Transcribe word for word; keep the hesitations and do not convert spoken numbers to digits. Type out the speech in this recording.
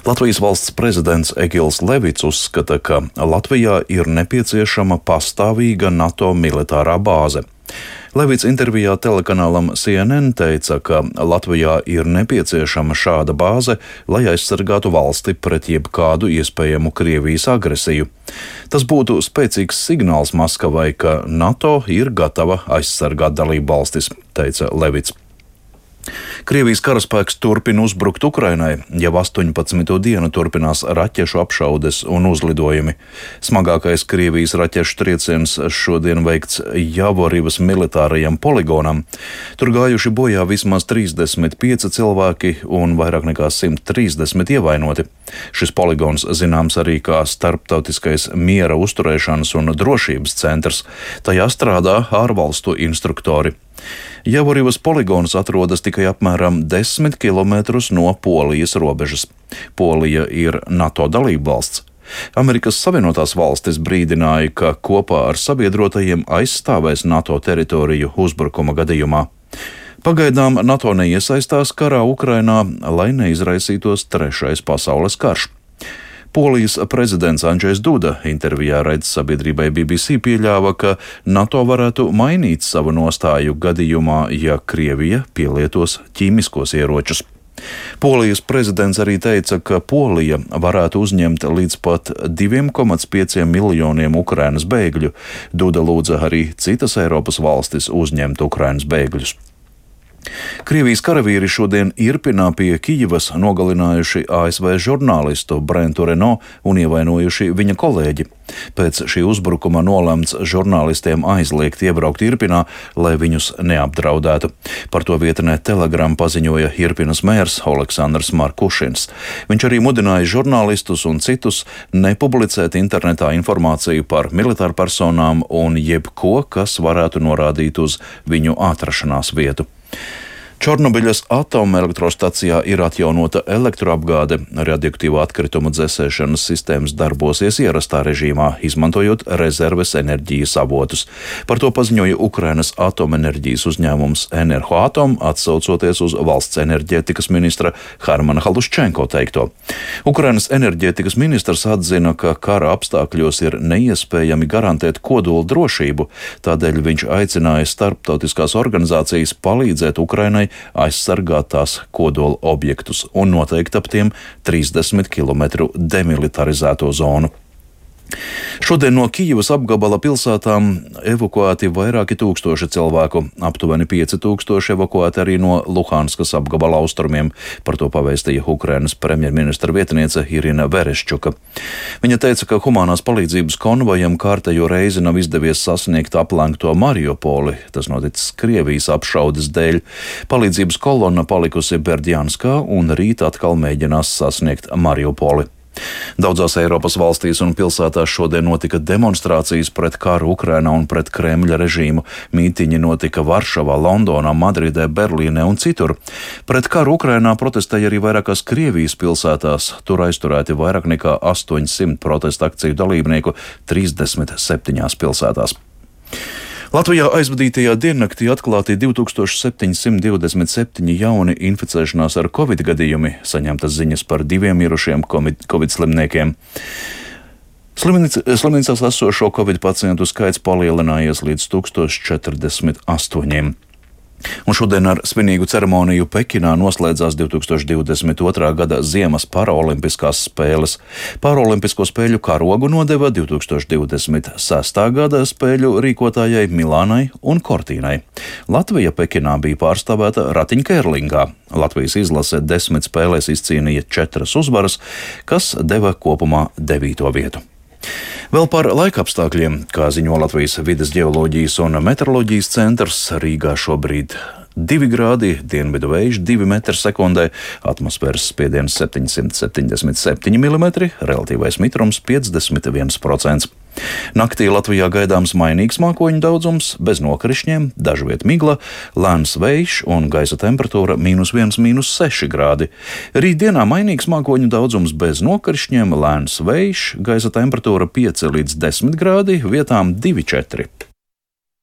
Latvijas valsts prezidents Egils Levits uzskata, ka Latvijā ir nepieciešama pastāvīga NATO militārā bāze. Levits intervijā telekanālam C N N teica, ka Latvijā ir nepieciešama šāda bāze, lai aizsargātu valsti pret jebkādu iespējamu Krievijas agresiju. Tas būtu spēcīgs signāls Maskavai, ka NATO ir gatava aizsargāt dalību valstis, teica Levits. Krievijas karaspēks turpina uzbrukt Ukrainai, jau astoņpadsmito dienu turpinās raķešu apšaudes un uzlidojumi. Smagākais Krievijas raķešu trieciens šodien veikts Javorivas militārajam poligonam. Tur gājuši bojā vismaz trīsdesmit pieci cilvēki un vairāk nekā simt trīsdesmit ievainoti. Šis poligons zināms arī kā starptautiskais miera uzturēšanas un drošības centrs. Tajā strādā ārvalstu instruktori. Javorivas poligons atrodas tikai apmēram desmit kilometrus no Polijas robežas. Polija ir NATO dalībvalsts. Amerikas Savienotās valstis brīdināja, ka kopā ar sabiedrotajiem aizstāvēs NATO teritoriju uzbrukuma gadījumā. Pagaidām NATO neiesaistās karā Ukrainā, lai neizraisītos trešais pasaules karš. Polijas prezidents Andžejs Duda intervijā raidsabiedrībai B B C pieļāva, ka NATO varētu mainīt savu nostāju gadījumā, ja Krievija pielietos ķīmiskos ieročus. Polijas prezidents arī teica, ka Polija varētu uzņemt līdz pat divi komats pieci miljoniem Ukrainas bēgļu. Duda lūdza arī citas Eiropas valstis uzņemt Ukrainas bēgļus. Krievijas karavīri šodien Irpinā pie Kijivas nogalinājuši A S V žurnālistu Brentu Reno un ievainojuši viņa kolēģi. Pēc šī uzbrukuma nolemts žurnālistiem aizliegt iebraukt Irpinā, lai viņus neapdraudētu. Par to vietnē Telegram paziņoja Irpinas mērs Oleksandrs Markušins. Viņš arī mudināja žurnālistus un citus nepublicēt internetā informāciju par militārpersonām un jebko, kas varētu norādīt uz viņu atrašanās vietu. Čornobiļas atomelektrostacijā ir atjaunota elektroapgāde, radioaktīvo atkritumu dzēsēšanas sistēmas darbosies ierastā režīmā, izmantojot rezerves enerģijas avotus. Par to paziņoja Ukrainas atomenerģijas uzņēmums Enerhoatom, atsaucoties uz valsts enerģētikas ministra Harmana Haluščenko teikto. Ukrainas enerģētikas ministrs atzina, ka kara apstākļos ir neiespējami garantēt kodola drošību, tādēļ viņš aicināja starptautiskās organizācijas palīdzēt Ukrainai aizsargāt tās kodola objektus un noteikt ap tiem trīsdesmit kilometru demilitarizēto zonu. Šodien no Kijivas apgabala pilsētām evakuēti vairāki tūkstoši cilvēku, aptuveni pieci tūkstoši evakuēti arī no Luhanskas apgabala austrumiem. Par to pavēstīja Ukrainas premjerministra vietniece Irina Vereščuka. Viņa teica, ka humanās palīdzības konvojam kārtējo reizi nav izdevies sasniegt aplenkto Mariupoli, tas noticis Krievijas apšaudes dēļ. Palīdzības kolonna palikusi Berdjanskā un rīt atkal mēģinās sasniegt Mariupoli. Daudzās Eiropas valstīs un pilsētās šodien notika demonstrācijas pret karu Ukrainā un pret Kremļa režīmu. Mītiņi notika Varšavā, Londonā, Madridē, Berlīnē un citur. Pret karu Ukrainā protestēja arī vairākās Krievijas pilsētās. Tur aizturēti vairāk nekā astoņsimt protesta akciju dalībnieku trīsdesmit septiņās pilsētās. Latvijā aizvadītajā diennaktī atklāti divi tūkstoši septiņsimt divdesmit septiņi jauni inficēšanās ar covid gadījumi, saņemtas ziņas par diviem mirušiem covid slimniekiem. Slimnīcās esošo covid pacientu skaits palielinājies līdz tūkstoš četrdesmit astoņiem. Un šodien ar svinīgu ceremoniju Pekinā noslēdzās divi tūkstoši divdesmit otrā gada Ziemas paraolimpiskās spēles. Paraolimpisko spēļu karogu nodeva divi tūkstoši divdesmit sestā gada spēļu rīkotājai Milānai un Cortīnai. Latvija Pekinā bija pārstāvēta ratiņkērlingā. Latvijas izlase desmit spēlēs izcīnīja četras uzvaras, kas deva kopumā devīto vietu. Vēl par laikapstākļiem, kā ziņo Latvijas vides ģeoloģijas un meteoroloģijas centrs, Rīgā šobrīd divi grādi, dienvidu vējš divi metri sekundē, atmosfēras spiediens septiņsimt septiņdesmit septiņi milimetri, relatīvais mitrums piecdesmit viens procents. Naktī Latvijā gaidāms mainīgs mākoņu daudzums, bez nokrišņiem, dažviet migla, lēns vējš un gaisa temperatūra mīnus viens, mīnus seši grādi. Rītdienā mainīgs mākoņu daudzums bez nokrišņiem, lēns vējš, gaisa temperatūra pieci līdz desmit grādi, vietām divi četri.